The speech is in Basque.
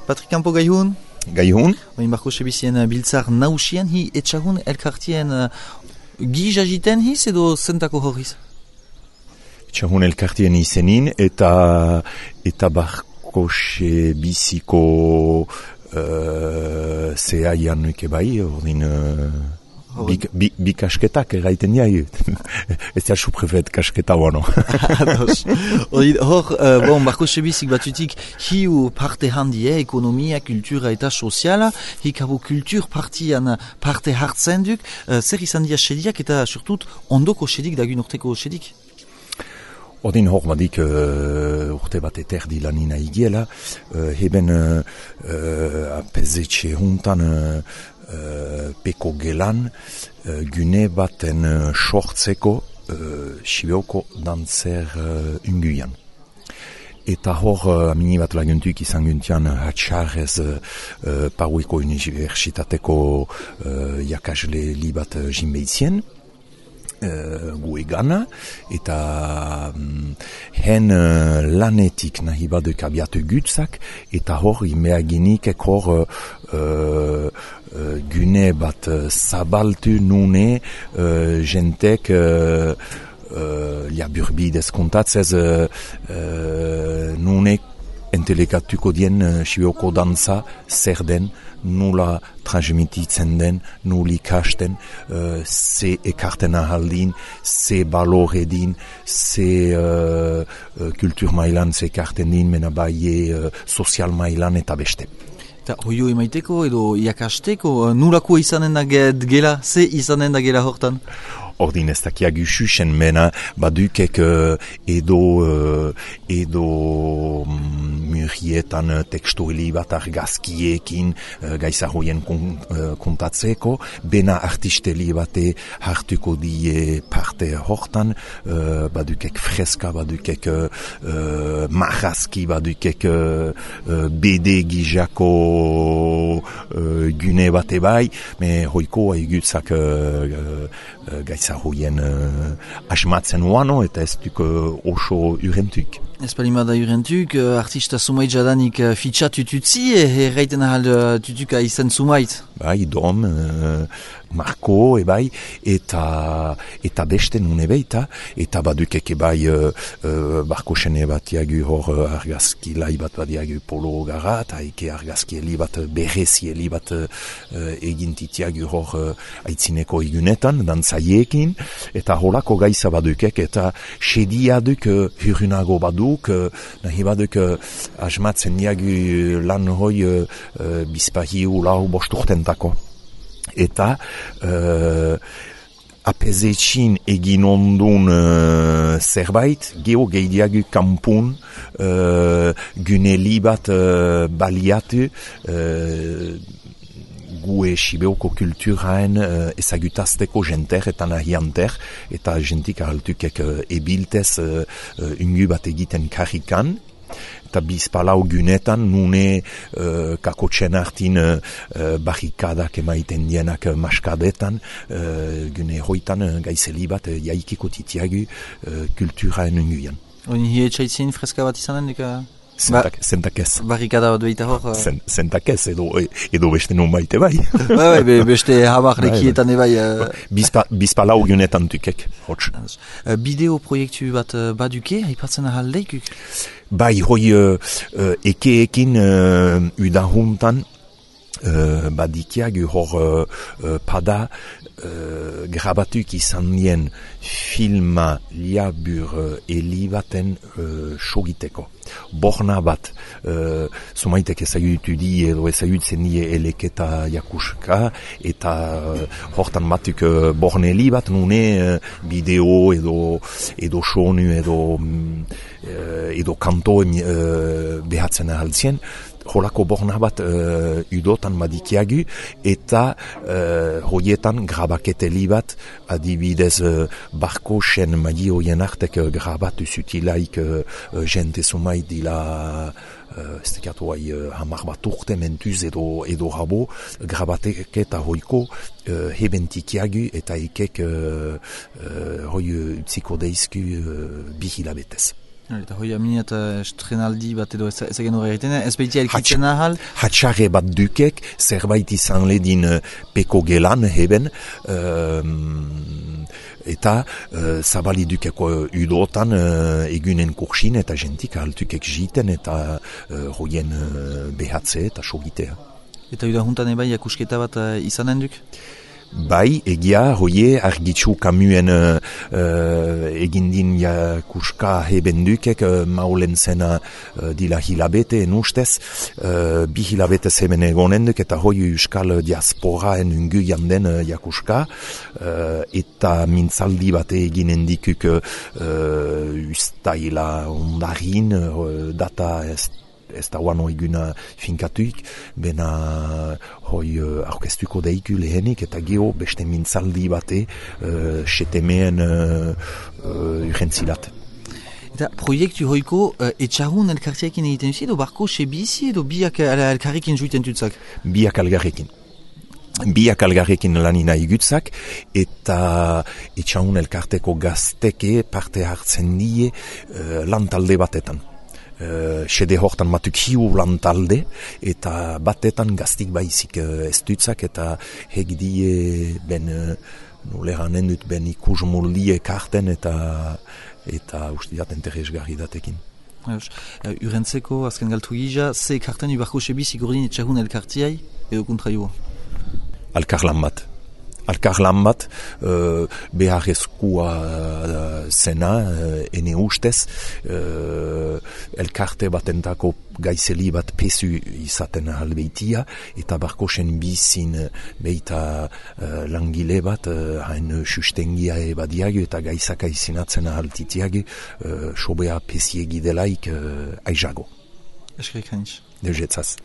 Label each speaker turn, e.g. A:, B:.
A: Patrik Campo gaihun?
B: Gaihun?
A: Oin barko sebizien biltzar nausien, hi etxagun elkartien giz agiten hiz edo zentako horriz?
B: Etxagun elkartien izenin eta barko sebiziko zehaian nuke bai, ordin... Bi kasketak erraiten jai. Ez da suprefet kasketa bono.
A: Hor, barko sebizik batutik hiu parte handie, ekonomia, kultura eta soziala, hikabo kultur partian parte hartzen duk, zer izan dia sediak eta surtut ondoko sedik dagun urteko sedik?
B: Ordin hor badik urte bat eterdi lanina igiela, heben apezetxe juntan peko gelan gune baten sortzeko Sibeoko dantzer unguian. Eta hor amini bat laguntuk izan guntian hatxarrez Paueko Universitateko jakasle li bat jinbeitzien, gu egana, eta hen lanetik nahi baduk abiatu gutzak, eta hor imeaginik hor gune bat zabaltu nune jentek burbidez kontatzez nune entelekatuko dien Sibeoko dantza zer den, nula transmititzen den, nuli kasten, ze ekarten ahaldin, ze balore din, ze kultur mailan ze ekarten din, mena baie sozial mailan eta beste.
A: Eta hoio emaiteko edo iakasteko, nulako izanen da gela, ze izanen da gela hortan?
B: Ordin ez dakiagu xuxen mena badukek edo murietan tekstueli bat argazkiekin gaizahoien kontatzeko, bena artisteli bate hartuko die parte hortan, badukek freska, badukek marrazki, badukek BD gizako gune bate bai, me hoiko haigutzak gaizahoien asmatzen uano eta ez duk oso urentuk.
A: Ez palimada urentuk, artista sumait jadanik fitxat tututzi, erraiten ahal tutuka izan sumait?
B: Bai, Dom, Marko, ebai, eta beste nune beita, eta badukek ebai barko sene bat diagu hor argazki lai bat badiagu polo gara, eta eke argazki eli bat berrezi eli bat egintitiagu hor aitzineko igunetan, dantzaiekin, eta holako gaiza badukek, eta sediaduk hurunago baduk, nahi baduk asmatzen diagu lan hoi bizpahiu lau bosturtentako. Eta apezetxin egin ondun zerbait, geho gehiago kanpun guneli bat baliatu gue Sibeoko kulturaen ezagutazteko jenter eta nahianter, eta jentik ahaltukek ebiltez ungu bat egiten karrikan, eta bizpalau gunetan nune kakotxen hartin barrikadak emaiten dienak maskadetan, gune hoitan gaizeli bat jaikiko titiagu kulturaen unguian.
A: Oin hi etxaitzin freska bat izanen deka?
B: Zentakez.
A: Barrikada bat behita hor?
B: Zentakez, edo beste non baite bai.
A: Beste hamar lekietan ebai.
B: Bizpalau gunetan tukek, hotz.
A: Bideo proiektu bat baduke, haipatzen ahal leikuk?
B: Bai, hoi ekeekin udahuntan badikiag hor pada grabatuk izan dien filma liabur elibaten sogiteko. Borna bat, zumaitek ezagutu di edo ezagutzen die eleketa jakuska, eta hortan batuk borne elibat nune bideo edo sonu edo kanto behatzen ahaltzien. Holako borna bat udotan badikiagu, eta hoietan grabaketeli bat adibidez barko sen magi hoien artek grabatu zutilaik jente sumait dila ez tekatu hamar bat urte mentuz edo rabo grabatek eta hoiko hebentikiagu eta ikek hoi utziko deizku bihilabetez.
A: Eta hoi aminiat estrenaldi bat edo ez egin hori egiten, ez behitia elkitzen ahal?
B: Hatxarre bat dukek, zerbait izan ledin peko gelan heben, eta zabali dukeko udotan egunen kursin eta jentik ahaltukek jiten eta hoien behatze eta sogitea.
A: Eta uda juntan ebai akusketa bat izanen duk?
B: Bai, egia, hoie, argitzu kamuen egindin jakuska heben dukek, maulen zena dila hilabete en ustez, 2 hilabete hemen egonen duk, eta hoi euskal diasporaen ungu janden jakuska, eta mintzaldi bat eginen dikuk ustaila ondarin, data ez da guano eguna finkatuik, bena hoi aurkeztuko deiku lehenik, eta geho beste mintzaldi bate setemeen urrentzilat.
A: Eta proiektu hoiko etxarun elkartiakin egiten duzi, edo barko sebizi, edo biak elkarrekin juiten dutzak?
B: Biak algarrekin. Biak algarrekin lanina igutzak, eta etxarun elkarteko gazteke parte hartzen die lantalde batetan. Sede hortan matuk hiu lantalde, eta batetan gaztik baizik ez dutzak, eta hegdie ben noleranen dut ben ikus moldie karten, eta ustiat interesgarri datekin.
A: Urentzeko, azken galtu gija, ze karten ubarko sebizik ordin etxarun elkartiai, edo kontraioa? Alkarlan bat, beharrezkoa zena, ene ustez, elkarte batentako gaizeli bat pesu izaten albeitia, eta barkosen bizin beita langile bat, hain sustengia ebadiago eta gaizaka izinatzen ahaltitiago, sobea pesiegi delaik aizago. Eskerik hainitz.
B: Dejetzaz.